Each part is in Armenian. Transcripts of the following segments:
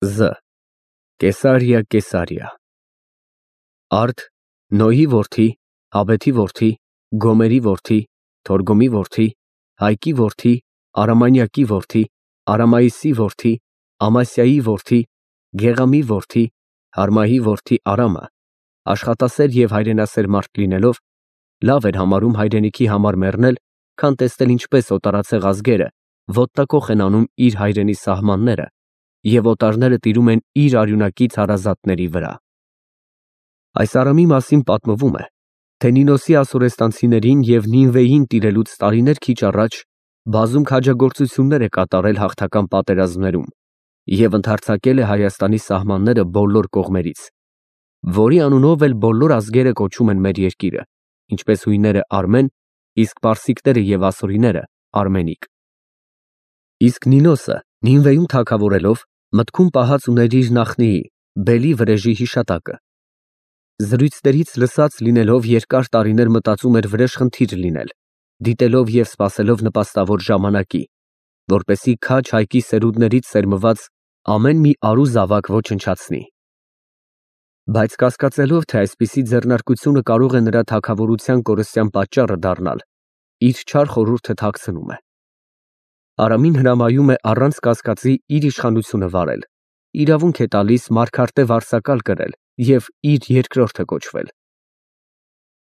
Զ. Կեսարիա, Կեսարիա։ Արդ, Նոյի որդի, Հաբեթի որդի, Գոմերի որդի, Թորգոմի որդի, Հայկի որդի, Արամանյակի որդի, Արամայիսի որդի, Ամասիայի որդի, Գեղամի որդի, Հարմայի որդի Արամը, աշխատասեր և հայրենասեր մարդ լինելով, լավ էր համարում հայրենիքի համար մեռնել, քան տեսնել ինչպես օտարածեղ ազգերը ոտտակոխ են անում իր հայրենի սահմանները և օտարները տիրում են իր արյունակից հարազատների վրա։ Այս Արամի մասին պատմվում է, թե Նինոսի ասորեստանցիներին և Նինվեին տիրելուց տարիներ քիչ առաջ բազում քաջագործություններ է կատարել հաղթական պատերազմներում և ընդարձակել է Հայաստանի սահմանները բոլոր կողմերից, որի անունով էլ բոլոր ազգերը կոչում են մեր երկիրը, ինչպես հույները Արմեն, իսկ պարսիկները և ասորիները Արմենիկ։ Իսկ Նինոսը Նինվեում թագավորելով մտքում պահած ուներ իր նախնիի Բելի վրեժի հիշատակը։ Զրույցներից լսած լինելով երկար տարիներ մտածում էր վրեժխնդիր լինել, դիտելով և սպասելով նպաստավոր ժամանակի, որպեսզի քաջ Հայկի սերունդներից սերմված ամեն մի արու զավակ ոչնչացնի։ Բայց կասկածելով, թե այսպիսի ձեռնարկությունը կարող է նրա թագավորության կորստյան պատճառը դառնալ, իր չար խորհուրդը թաքցնում է։ Արամին հրամայում է առանց կասկածի իր իշխանությունը վարել, իրավունք է տալիս մարգարտե վարձակալ կրել և իր երկրորդը կոչվել։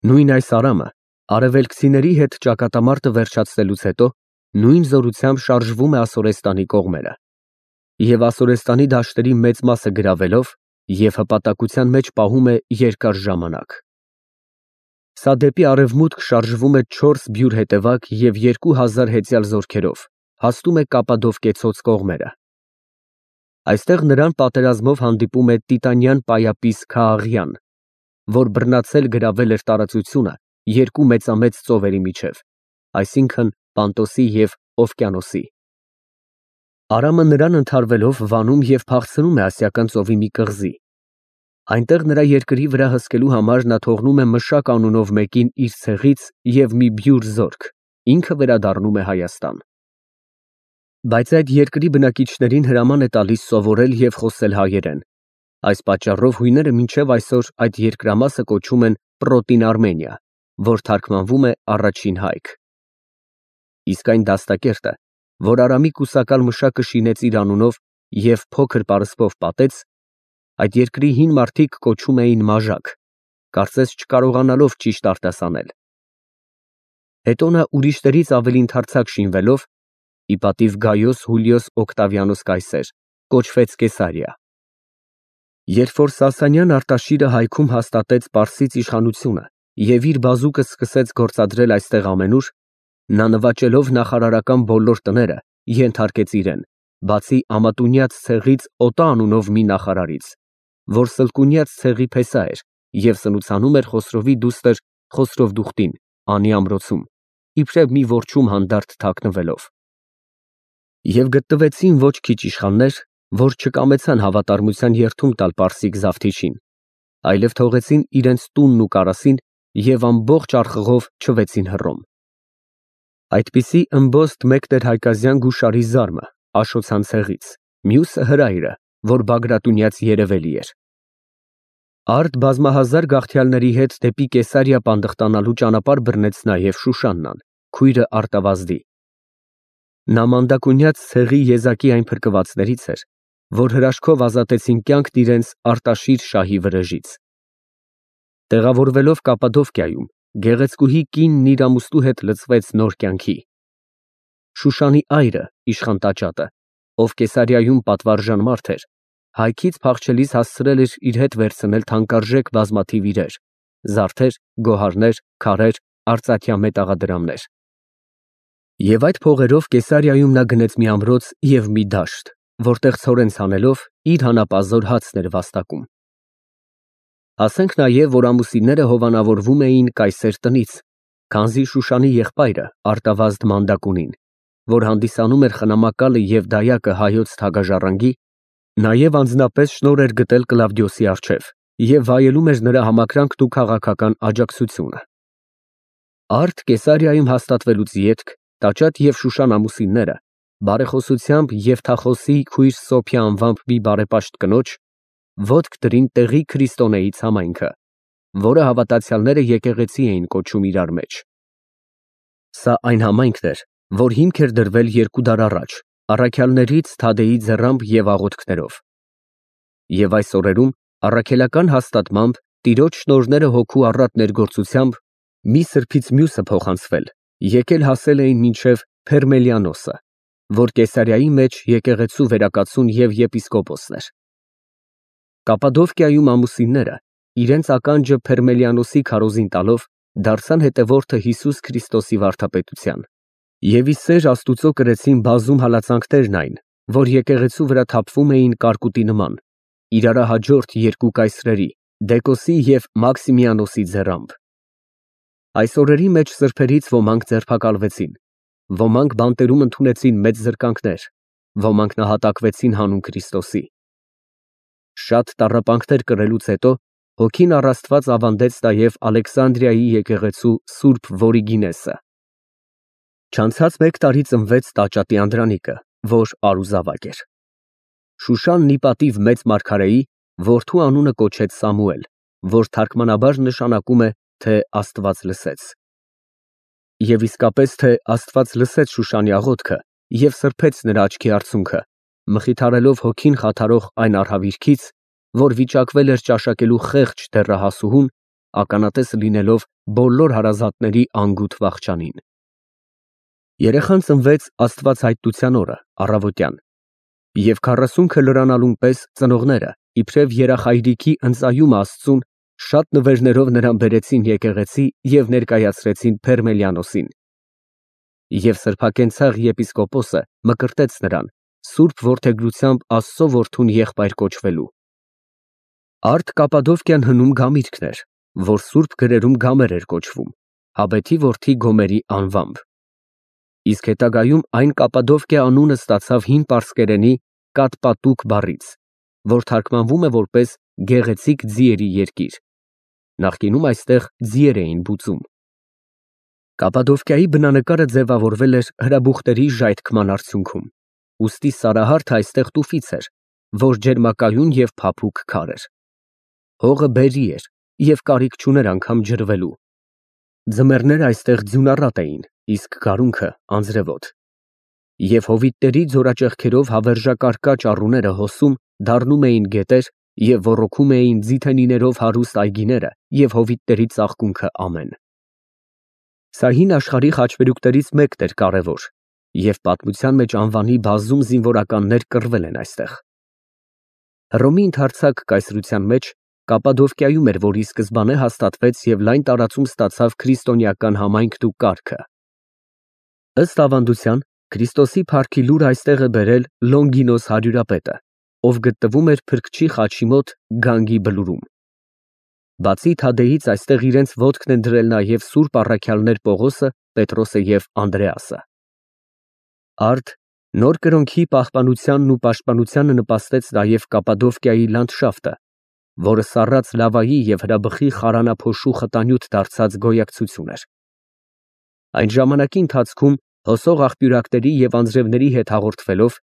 Նույն այս Արամը արևելքցիների հետ ճակատամարտը վերջացնելուց հետո նույն զորությամբ շարժվում է Ասորեստանի կողմերը և Ասորեստանի դաշտերի մեծ մասը գրավելով և հպատակության մեջ պահում է երկար ժամանակ։ Սա դեպի արևմուտք շարժվում է 4 բյուրե հետևակ և 2000 հեծյալ զորքերով, հասնում է Կապադովկեցոս կողմերը։ Այստեղ նրան պատերազմով հանդիպում է տիտանյան պայապիս Քաաղյան, որ բռնացել գրավել էր տարածությունը երկու մեծամեծ ծովերի միջև, այսինքն Պանտոսի և Օվկիանոսի։ Արամը նրան ընդհարվելով վանում և փախցնում է Ասիական ծովի մի կղզի։ Այնտեղ նրա երկրի վրա հսկելու համար նա թողնում է Մշակ անունով մեկին իր ցեղից և մի բյուր զորք, ինքը վերադառնում է Հայաստան։ Բայց այդ երկրի բնակիչներին հրաման է տալիս սովորել և խոսել հայերեն։ Այս պատճառով հույները մինչև այսօր այդ երկրամասը կոչում են Պրոտին Արմենիա, որ թարգմանվում է առաջին Հայք։ Իսկ այն դաստակերտը, որ Արամի կուսակալ Մշակը շինեց իր անունով և փոքր պարսպով պատեց, այդ երկրի հին մարդիկ կոչում էին Մաժակ, կարծես չկարողանալով ճիշտ արտասանել։ Հետո նա ուրիշներից ավելի ընդարձակ շինվելով, ի պատիվ Գայոս Հուլիոս Օկտավիանոս կայսեր, կոչվեց Կեսարիա։ Երբ որ Սասանյան Արտաշիրը Հայքում հաստատեց Պարսից իշխանությունը և իր բազուկը սկսեց գործադրել այստեղ ամենուր, նա նվաճելով նախարարական բոլոր տները, ենթարկեց իրեն, բացի Ամատունյաց ցեղից Օտա անունով մի նախարարից, որ Սլկունյաց ցեղի փեսա էր և սնուցանում էր Խոսրովի դուստր Խոսրովդուխտին անի ամրոցում, իբրև մի որջում հանդարտ թաքնվելով։ Եվ գտնվեցին ոչ քիչ իշխաններ, որ չկամեցան հավատարմության երդում տալ պարսիկ Զավթիչին, այլև թողեցին իրենց տունն ու կարասին և ամբողջ արխղով չվեցին Հռոմ։ Այդպիսի ըմբոստ մեկն էր Հայկազյան Գուշարի Զարմը Աշոցան ցեղից, մյուսը Հրայրը, որ Բագրատունյաց երևելի էր։ Արդ բազմահազար գաղթյալների հետ դեպի Կեսարիա պանդխտանալու ճանապարհ բռնեց նաև Շուշաննան, քույրը Արտավազդի։ Նա Մանդակունյաց ցեղի եզակի այն փրկվածներից էր, որ հրաշքով ազատեցին կյանքն իրենց Արտաշիր շահի վրեժից։ Տեղավորվելով Կապադովկիայում, գեղեցկուհի կինն իր ամուսնու հետ լցվեց նոր կյանքի։ Շուշանի այրը, իշխան տաճատը, ով Կեսարիայում պատվարժան մարդ էր, Հայքից փախչելիս հասցրել էր իր հետ վերցնել թանկարժեք բազմաթիվ իրեր, զարդեր, գոհարներ, քարեր, արծաթյա մետաղադրամներ։ Եվ այդ փողերով Կեսարիայում նա գնեց մի ամրոց և մի դաշտ, որտեղ ցորեն ցանելով իր հանապազոր հացն էր վաստակում։ Ասենք նաև, որ ամուսինները հովանավորվում էին կայսեր տնից, քանզի Շուշանի եղբայրը Արտավազդ Մանդակունին, որ հանդիսանում էր խնամակալը և դայակը հայոց թագաժառանգի, նաև անձնապես շնորհ էր գտել Կլավդիոսի առջև և վայելում էր նրա համակրանքն ու քաղաքական աջակցությունը։ Արդ Կեսարիայում հաստատվելուց ետք տաճատ և Շուշան ամուսինները բարեխոսությամբ և թախոսի քույր Սոփյա անվամբ մի բարեպաշտ կնոջ, ոտք դրին տեղի քրիստոնեից համայնքը, որը հավատացյալները եկեղեցի էին կոչում իրար մեջ։ Սա այն համայնքն էր, որ հիմք էր դրվել 2 դար առաջ, առաքյալներից Թադեի ձեռամբ և աղոթքներով։ Եվ այս օրերում առաքելական հաստատմամբ Տիրոջ շնորհները հոգու առատ ներգործությամբ մի սրբից մյուսը փոխանցվել, եկել հասել էին մինչև Փերմելիանոսը, որ Կեսարիայի մեջ եկեղեցու վերակացուն և եպիսկոպոսն էր։ Կապադովկիայում ամուսինները իրենց ականջը Փերմելիանոսի քարոզին տալով դարձան հետևորդը Հիսուս Քրիստոսի վարդապետության և ի սեր Աստուծո կրեցին բազում հալածանքներն այն, որ եկեղեցու վրա թափվում էին կարկուտի նման, իրարահաջորդ 2 կայսրերի՝ Դեկոսի և Մաքսիմիանոսի ձեռամբ։ Այս օրերի մեջ սրբերից ոմանք ձերբակալվեցին, ոմանք բանտերում ընդունեցին մեծ զրկանքներ, ոմանք նահատակվեցին հանուն Քրիստոսի։ Շատ տառապանքներ կրելուց հետո Հոգին առ Աստված ավանդեց նաև Ալեքսանդրիայի եկեղեցու Սուրբ Վորիգինեսը։ Չանցած 1 տարի ծնվեց տաճատի Անդրանիկը, որ արուզավակ էր։ Շուշան նիպատիվ մեծ մարգարեի որդու անունը կոչեց Սամուել, որ թարգմանաբար նշանակում է, թե Աստված լսեց։ Եվ իսկապես, թե Աստված լսեց Շուշանի աղոթքը և սրբեց նրա աչքի արցունքը, մխիթարելով հոգին խաթարող այն արհավիրքից, որ վիճակվել էր ճաշակելու խեղճ դեռահասուհուն, ականատես լինելով բոլոր հարազատների անգութ վախճանին։ Երեխան ծնվեց Աստվածհայտության օրը, առավոտյան, և 40 լրանալուն պես ծնողները, իբրև երախայրիքի ընծայումը Աստծուն, շատ նվերներով նրան բերեցին եկեղեցի և ներկայացրեցին Փերմելիանոսին։ Եվ սրբակենցաղ եպիսկոպոսը մկրտեց նրան, սուրբ որդեգրությամբ Աստծո որդուն եղբայր կոչվելու։ Արդ Կապադովկյան հնում գամիրջն էր, որ սուրբ գրերում Գամեր էր կոչվում, Հաբեթի որդի Գոմերի անվամբ։ Իսկ հետագայում այն Կապադովկիա անունը ստացավ հին պարսկերենի Կատպատուկ բառից, որ թարգմանվում է որպես գեղեցիկ ձիերի երկիր։ Նախկինում այստեղ ձիեր էին բուծում։ Կապադովկիայի բնանկարը ձևավորվել էր հրաբուխների ժայթքման արդյունքում, ուստի Սարահարթը այստեղ տուֆից էր, որ ջերմակայուն և փափուկ քար էր։ Հողը բերրի էր և կարիք չուներ անգամ ջրվելու։ Ձմեռները այստեղ ձյունառատ էին, իսկ գարունքը անձրևոտ։ Եվ հովիտների ձորաճեղքերով հավերժակարկա ճառուները հոսում դառնում էին գետեր և ոռոգում էին ձիթենիներով հարուստ այգիները և հովիտների ծաղկունքը ամեն։ Սա հին աշխարհի խաչմերուկներից մեկն էր կարևոր, և պատմության մեջ անվանի բազում զինվորականներ կռվել են այստեղ։ Հռոմի ընդարձակ կայսրության մեջ Կապադովկիայում էր, որ ի սկզբանե հաստատվեց և լայն տարածում ստացավ քրիստոնեական համայնքն ու կարգը։ Ըստ ավանդության, Քրիստոսի փառքի լուրը այստեղ է բերել Լոնգինոս հարյուրապետը, ով գտնվում էր Փրկչի խաչի մոտ Գանգի բլուրում։ Բացի Թադեից այստեղ իրենց ոտքն են դրել նաև սուրբ առաքյալներ Պողոսը, Պետրոսը և Անդրեասը։ Արդ նոր կրոնքի պահպանությանն ու պաշտպանությանը նպաստեց նաև Կապադովկիայի լանդշաֆտը, որը սառած լավայի և հրաբխի խարանափոշու խտանյութ դարձած գոյակցություն էր։ Այն ժամանակի ընթացքում հոսող աղբյուրակների և անձրևների հետ հաղորդվելով,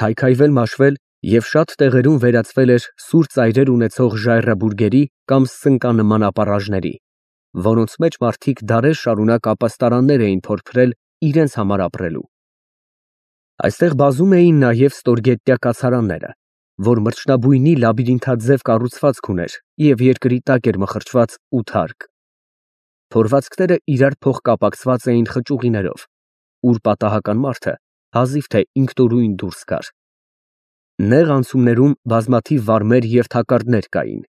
քայքայվել-մաշվել և շատ տեղերում վերածվել էր սուր ծայրեր ունեցող ժայռաբուրգերի կամ սնկանման ապառաժների, որոնց մեջ մարդիկ դարեր շարունակ ապաստարաններ էին փորփրել իրենց համար ապրելու։ Այստեղ բազում էին նաև ստորգետնյա կացարանները, որ մրջնաբույնի լաբիրինթաձև կառուցվածք ուներ և երկրի տակ էր մխրճված 8 հարկ։ Փորվածքները իրար փոխկապակցված էին խճուղիներով, ուր պատահական մարդը հազիվ թե ինքնուրույն դուրս գար։ Նեղ անցումներում բազմաթիվ վարմեր և թակարդներ կային։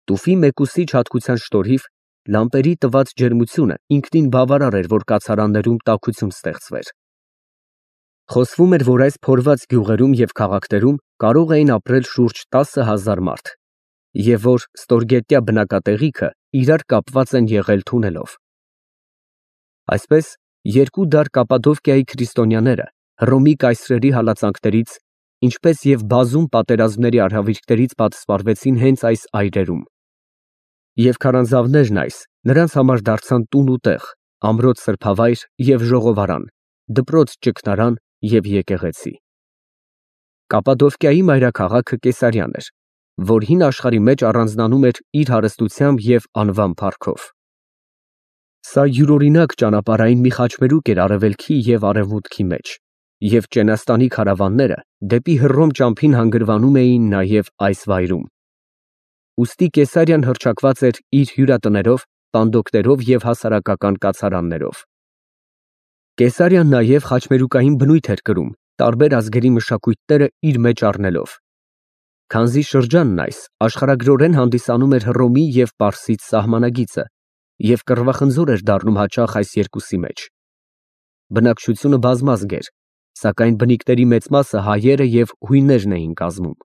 Տուֆի մեկուսի հատկության շնորհիվ լամպերի տված ջերմությունը ինքնին բավարար էր, որ կացարաններում տաքություն ստեղծվեր։ Խոսվում էր, որ այս փորված գյուղերում և քաղաքներում կարող էին ապրել շուրջ 10,000 մարդ, և որ ստորգետնյա բնակատեղիքը իրար կապված են եղել թունելով։ Այսպես, 2 դար Կապադովկիայի քրիստոնյաները Հռոմի կայսրերի հալածանքներից, ինչպես և բազում պատերազմների արհավիրքներից պատսպարվեցին հենց այս այրերում։ Եվ քարանձավներն այս նրանց համար դարձան տուն ու տեղ, ամրոց սրբավայր և ժողովարան, դպրոց ճգնարան և եկեղեցի։ Կապադովկիայի մայրաքաղաքը Կեսարիան էր, որ հին աշխարհի մեջ առանձնանում էր իր հարստությամբ և անվան փառքով։ Սա յուրօրինակ ճանապարհային մի խաչմերուկ էր արևելքի և արևմուտքի մեջ, և Ճենաստանի քարավանները դեպի Հռոմ ճամփին հանգրվանում էին նաև այս վայրում։ Ուստի Կեսարիան հռչակված էր իր հյուրատներով, պանդոկներով և հասարակական կացարաններով։ Կեսարիան նաև խաչմերուկային բնույթ էր կրում, տարբեր ազգերի մշակույթները իր մեջ առնելով։ Քանզի շրջանն այս աշխարհագրորեն հանդիսանում էր Հռոմի և Պարսից սահմանագիծը և կռվախնձոր էր դառնում հաճախ այս երկուսի մեջ։ Բնակչությունը բազմազգ էր, սակայն բնիկների մեծ մասը հայերը և հույներն էին կազմում։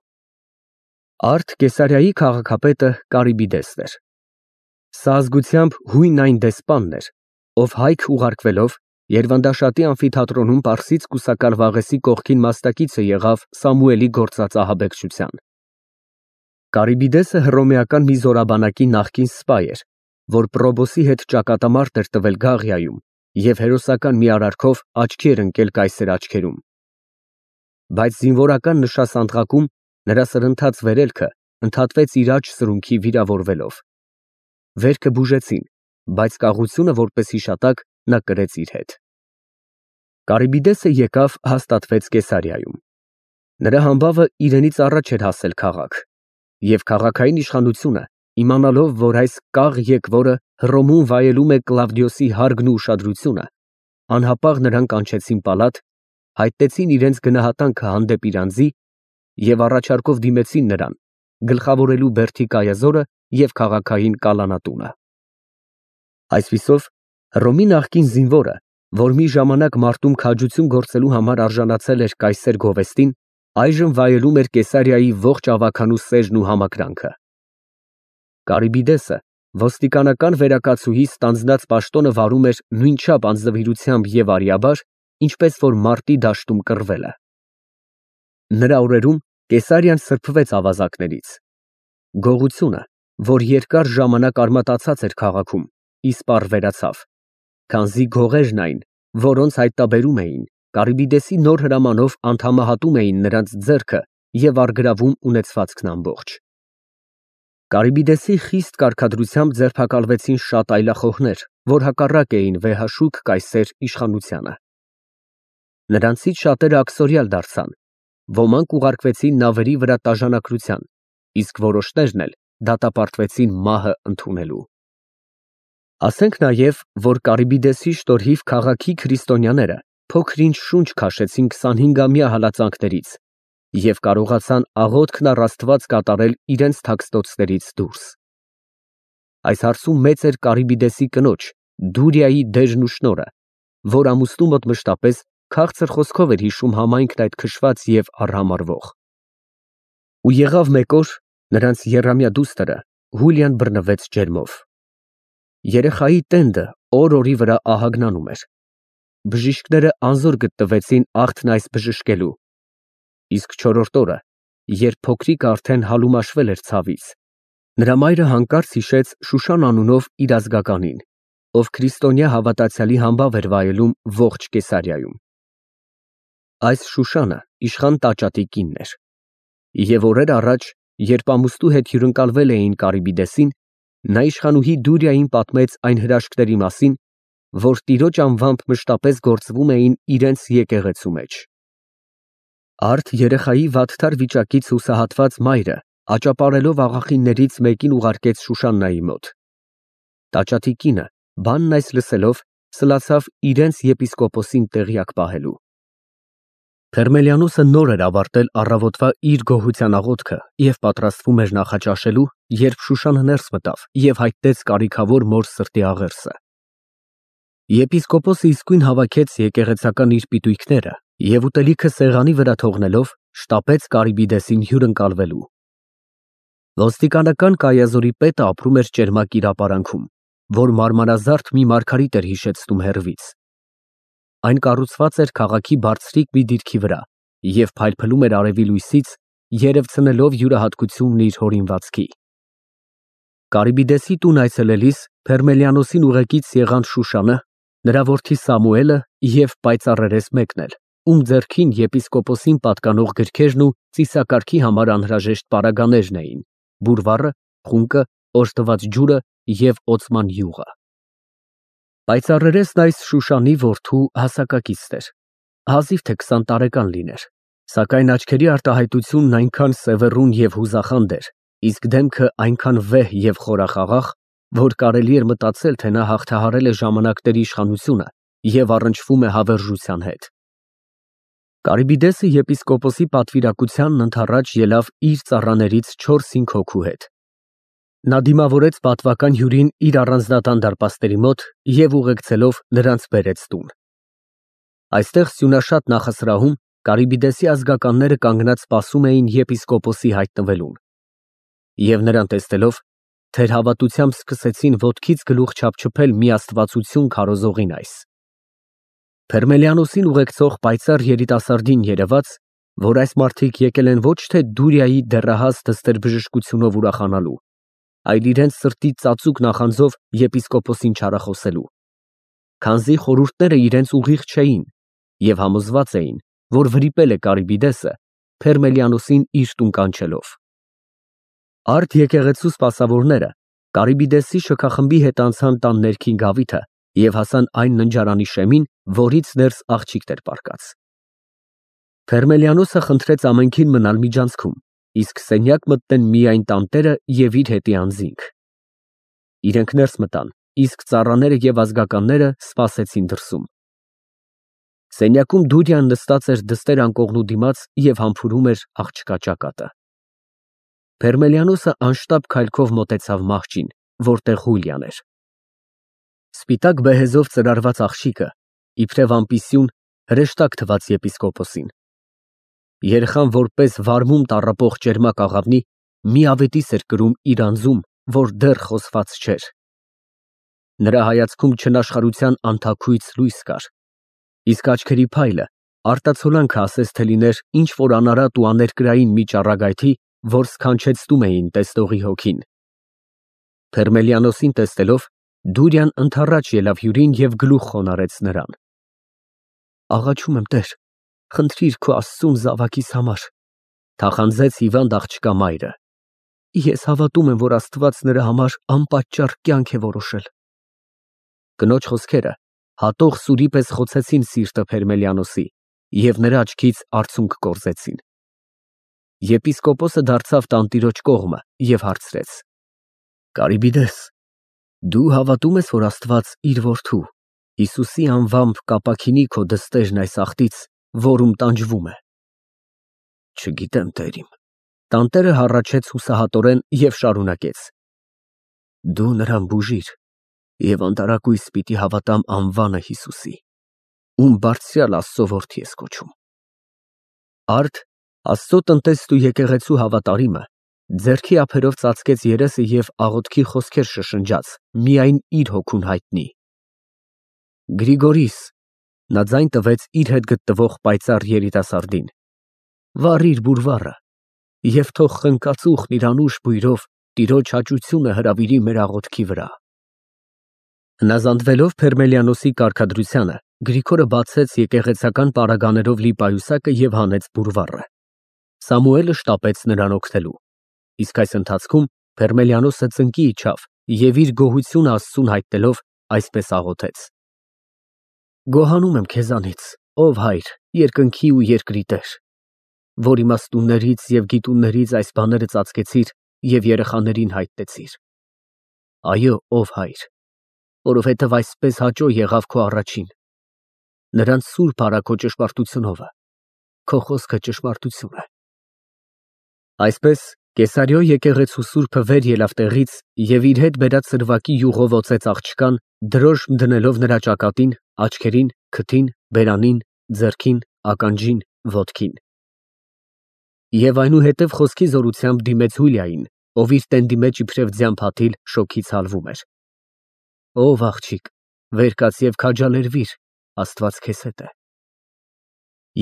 Արդ Կեսարիայի քաղաքապետը Կարիբիդեսն էր։ Սա ազգությամբ հույն այն դեսպանն էր, ով հայք ուղարկվելով Երվանդաշատի ամֆիթատրոնում պարսից կուսակալ Վաղեսի կողքին մասնակիցը եղավ Սամուելի գործած ահաբեկչության։ Կարիբիդեսը հռոմեական մի զորաբանակի նախկին սպա էր, որ Պրոբոսի հետ ճակատամարտ էր տվել Գաղիայում և հերոսական մի արարքով աչքի էր ընկել կայսեր աչքերում։ Բայց զինվորական նշասանդղակում նրա սրընթաց վերելքը ընդհատվեց իր աջ սրունքի վիրավորվելով։ Վերքը բուժեցին, բայց կաղությունը որպես հիշատակ նա կրեց իր հետ։ Կարիբիդեսը եկավ հաստատվեց Կեսարիայում։ Նրա համբավը իրենից առաջ էր հասել քաղաք, և քաղաքային իշխանությունը, իմանալով, որ այս կաղ եկվորը Հռոմում վայելում է Կլավդիոսի հարգն ու ուշադրությունը, անհապաղ նրան կանչեցին պալատ, հայտնեցին իրենց գնահատանքը հանդեպ իր անձի և առաջարկով դիմեցին նրան գլխավորելու Բերդի կայազորը և քաղաքային կալանատունը։ Այսպիսով, Հռոմի նախկին զինվորը, որ մի ժամանակ մարտում քաջություն գործելու համար արժանացել էր կայսեր գովեստին, այժմ վայելում էր Կեսարիայի ողջ ավագանու սերն ու համակրանքը։ Կարիբիդեսը ոստիկանական վերակացուհի ստանձնած պաշտոնը վարում էր նույնչափ անձնվիրությամբ և արիաբար, ինչպես որ մարտի դաշտում կռվելը։ Նրա օրերում Կեսարիան սրբվեց ավազակներից։ Գողությունը, որ երկար ժամանակ արմատացած էր քաղաքում, իսպառ վերացավ, քանզի գողերն այն, որոնց հայտնաբերում էին, Կարիբիդեսի նոր հրամանով անդամահատում էին նրանց ձեռքը և առգրավում ունեցվածքն ամբողջ։ Կարիբիդեսի խիստ կարգադրությամբ ձերբակալվեցին շատ այլախոհներ, որ հակառակ էին վեհաշուք կայսեր իշխանությանը։ Նրանցից շատերը աքսորյալ դարձան, ոմանք ուղարկվեցին նավերի վրա տաժանակրության, իսկ որոշներն էլ դատապարտվեցին մահը ընդունելու։ Ասենք նաև, որ Կարիբիդեսի շտորհիվ քաղաքի քրիստոնյաները փոքր-ինչ շունչ քաշեցին 25-ամյա հալածանքներից և կարողացան աղոթքն առ Աստված կատարել իրենց թաքստոցներից դուրս։ Այս հարցում մեծ էր Կարիբիդեսի կնոջ Դուրիայի դերն ու շնորհը, որ ամուսնու մոտ մշտապես քաղցր խոսքով էր հիշում համայնքն այդ քշված և արհամարհվող։ Ու եղավ մեկ օր, նրանց եռամյա դուստրը Հուլիան բռնվեց ջերմով։ Երեխայի տենդը օր֊օրի վրա ահագնանում էր։ Բժիշկները անզոր գտնվեցին աղթն այս բժշկելու, իսկ չորրորդ օրը, երբ փոքրիկը արդեն հալումաշվել էր ցավից, նրա մայրը հանկարծ հիշեց Շուշան անունով իր ազգականին, ով քրիստոնյա հավատացյալի համբավ էր վայելում ողջ Կեսարիայում։ Այս Շուշանը իշխան Տաճատի կինն էր, և օրեր առաջ, երբ ամուսնու հետ հյուրընկալվել էին Կարիբիդեսին, նա իշխանուհի Դուրիային պատմեց այն հրաշքների մասին, որ տիրոջ անվամբ մշտապես գործվում էին իրենց եկեղեցու մեջ։ Արդ երեխայի վատթար վիճակից հուսահատված մայրը աճապարելով աղախիններից մեկին ուղարկեց Շուշաննայի մոտ։ Տաճատի կինը, բանն այս լսելով, սլացավ իրենց եպիսկոպոսին տեղյակ պահելու։ Փերմելիանոսը նոր էր ավարտել առավոտվա իր գոհության աղոթքը և պատրաստվում էր նախաճաշելու, երբ Շուշանը ներս մտավ և հայտնեց կարիքավոր մոր սրտի աղերսը։ Եպիսկոպոսը իսկույն հավաքեց եկեղեցական իր պիտույքները և ուտելիքը սեղանի վրա թողնելով, շտապեց Կարիբիդեսին հյուրընկալվելու։ Ոստիկանական կայազորի պետը ապրում էր ճերմակ իրապարանքում, որ մարմարազարդ մի մարգարիտ էր հիշեցնում հեռվից։ Այն կառուցված էր քաղաքի բարձրիկ մի դիրքի վրա և փայլփլում էր արևի լույսից, երևցնելով յուրահատկությունն իր հորինվածքի։ Կարիբիդեսի տուն այցելելիս Փերմելիանոսին ուղեկից եղան Շուշանը, նրա որդի Սամուելը և պայծառերես մեկն էլ, ում ձեռքին եպիսկոպոսին պատկանող գրքերն ու ծիսակարգի համար անհրաժեշտ պարագաներն էին, բուրվառը, խունկը, օժտված ջուրը և օծման յուղը։ Պայծառերեսն այս Շուշանի որդու հասակակիցն էր, հազիվ թե 20 տարեկան լիներ, սակայն աչքերի արտահայտությունն այնքան սևեռուն և հուզախանդ էր, իսկ դեմքը այնքան վեհ և խորախաղաղ, որ կարելի էր մտածել, թե նա հաղթահարել է ժամանակների իշխանությունը և առնչվում է հավերժության հետ։ Կարիբիդեսը եպիսկոպոսի պատվիրակությանն ընդառաջ ելավ իր ծառաներից 4-5 հոգու հետ։ Նա դիմավորեց պատվական հյուրին իր առանձնատան դարպասների մոտ և ուղեկցելով նրանց բերեց տուն։ Այստեղ սյունաշատ նախասրահում Կարիբիդեսի ազգականները կանգնած սպասում էին եպիսկոպոսի հայտնվելուն։ Եվ նրան տեսնելով, թերհավատությամբ սկսեցին ոտքից գլուխ չափչփել մի աստվածություն քարոզողին այս։ Փերմելիանոսին ուղեկցող պայծառ երիտասարդին երևաց, որ այս մարդիկ եկել են ոչ թե Դուրիայի դեռահաս դստեր֊բժշկությունով ուրախանալու, այլ իրենց սրտի ծածուկ նախանձով եպիսկոպոսին չարախոսելու, քանզի խորհուրդները իրենց ուղիղ չէին և համոզված էին, որ վրիպել է Կարիբիդեսը, Փերմելիանոսին իր տուն կանչելով։ Արդ եկեղեցու սպասավորները Կարիբիդեսի շքախմբի հետ անցան տան ներքին գավիթը և հասան այն ննջարանի շեմին, որից ներս աղջիկ էր պառկած։ Փերմելիանոսը խնդրեց ամենքին մնալ միջանցքում, իսկ սենյակ մտնեն միայն տանտերը և իր հետի անձինք։ Իրենք ներս մտան, իսկ ծառաները և ազգականները սպասեցին դրսում։ Սենյակում Դուրիան նստած էր դստեր անկողնու դիմաց և համբուրում էր աղջկա ճակատը։ Փերմելիանոսը անշտապ քայլքով մոտեցավ մահճին, որտեղ Հուլիան էր։ Սպիտակ բեհեզով ծրարված աղջիկը, իբրև ամպիսյուն, հրեշտակ թվաց եպիսկոպոսին։ Երեխան որպես վարմում տառապող ճերմակ աղավնի մի ավետիս էր կրում իր անձում, որ դեռ խոսված չէր։ Նրա հայացքում չնաշխարհության անթաքույց լույս կար, իսկ աչքերի փայլը արտացոլանքը ասես թե լիներ ինչ-որ անարատ ու աներկրային մի ճառագայթի, որ սքանչեցնում էին տեսնողի հոգին։ Փերմելիանոսին տեսնելով, Դուրիան ընդառաջ ելավ հյուրին և գլուխ խոնարհեց նրան։ Աղաչում եմ, Տեր, խնդրիր քո աստծուն զավակիս համար, թախանձեց հիվանդ աղջկա մայրը։ Ես հավատում եմ, որ Աստված նրա համար անպատճառ կյանք է որոշել։ Կնոջ խոսքերը հատող սուրի պես խոցեցին սիրտը Փերմելիանոսի և նրա աչքից արցունք կորզեցին։ Եպիսկոպոսը դարձավ տանտիրոջ կողմը և հարցրեց. Կարիբիդես, դու հավատում ես, որ Աստված իր որդու Հիսուսի անվամբ կապաքինի քո դստերն այս աղտից, որում տանջվում է։ Չգիտեմ, Տեր իմ։ Տանտերը հառաչեց հուսահատորեն և շարունակեց. Դու նրան բուժիր և անտարակույս պիտի հավատամ անվանը Հիսուսի, ում բարձրյալ Աստծո որդի ես կոչում։ Արդ Աստծո տնտեսն ու եկեղեցու հավատարիմը ձեռքի ափերով ծածկեց երեսը և աղոթքի խոսքեր շշնջաց, միայն իր հոգուն հայտնի։ Գրիգորիս, նա ձայն տվեց իր հետ գտնվող պայծառ երիտասարդին, վառիր բուրվառը և թող խնկածուխն իր անուշ բույրով Տիրոջ հաճությունը հրավիրի մեր աղոթքի վրա։ Հնազանդվելով Փերմելիանոսի կարգադրությանը, Գրիգորը բացեց եկեղեցական պարագաներով լի պայուսակը և հանեց բուրվառը։ Սամուելը շտապեց նրան օգնելու, իսկ այս ընթացքում Փերմելիանոսը ծնկի իջավ և իր գոհությունը Աստծուն հայտնելով այսպես աղոթեց. Գոհանում եմ քեզանից, ով Հայր, երկնքի ու երկրի Տեր, որ իմաստուններից և գիտուններից այս բաները ծածկեցիր և երեխաներին հայտնեցիր։ Այո, ով Հայր, որովհետև այսպես հաճո եղավ քո առաջին։ Նրանց սուրբ արա քո ճշմարտությունովը, քո խոսքը ճշմարտություն է։ Այսպես Կեսարիո եկեղեցու սուրբը վեր ելավ տեղից և իր հետ բերած սրվակի յուղով օծեց աղջկան, դրոշմ դնելով նրա ճակատին, աչքերին, քթին, բերանին, ձեռքին, ականջին, ոտքին։ Եվ այնուհետև խոսքի զորությամբ դիմեց Հուլիային, ով իր տենդի մեջ իբրև ձյան փաթիլ շոգից հալվում էր։ Ով աղջիկ, վեր կաց և քաջալերվիր, Աստված քեզ հետ է։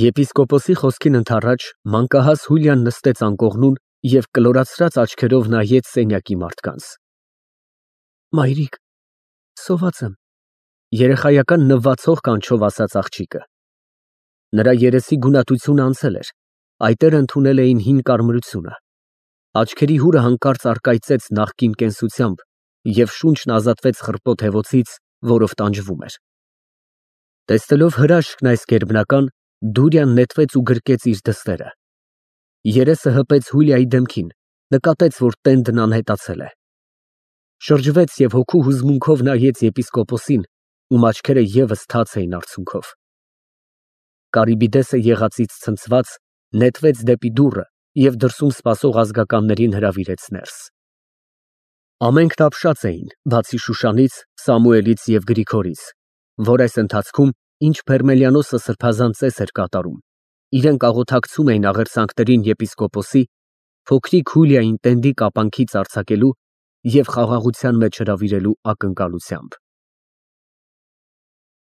Եպիսկոպոսի խոսքին ընդառաջ մանկահաս Հուլիան նստեց անկողնուն և կլորացրած աչքերով նայեց սենյակի մարդկանց։ Մայրիկ, սոված եմ, երեխայական նվացող կանչով ասաց աղջիկը։ Նրա երեսի գունատությունը անցել էր, այտերը ընդունել էին հին կարմրությունը։ Աչքերի հուրը հանկարծ առկայծեց նախկին կենսությամբ և շունչն ազատվեց խռպոտ հևոցից, որով տանջվում էր։ Տեսնելով հրաշքն այս գերբնական, Դուրիան նետվեց ու գրկեց իր դստերը։ Երեսը հպեց Հուլիայի դեմքին, նկատեց, որ տենդն անհետացել է։ Շրջվեց և հոգու հուզմունքով նայեց եպիսկոպոսին, ում աչքերը ևս թաց էին արցունքով։ Կարիբիդեսը եղածից ցնցված, նետվեց դեպի դուռը և դրսում սպասող ազգականներին հրավիրեց ներս։ Ամենքն ապշած էին, բացի Շուշանից, Սամուելից և Գրիգորից, որ այս ընթացքում, ինչ Փերմելիանոսը սրբազան ծես էր կատարում, իրենք աղոթակցում էին աղերսանքներին եպիսկոպոսի, փոքրիկ Հուլիային տենդի կապանքից արձակելու և խաղաղության մեջ հրավիրելու ակնկալությամբ։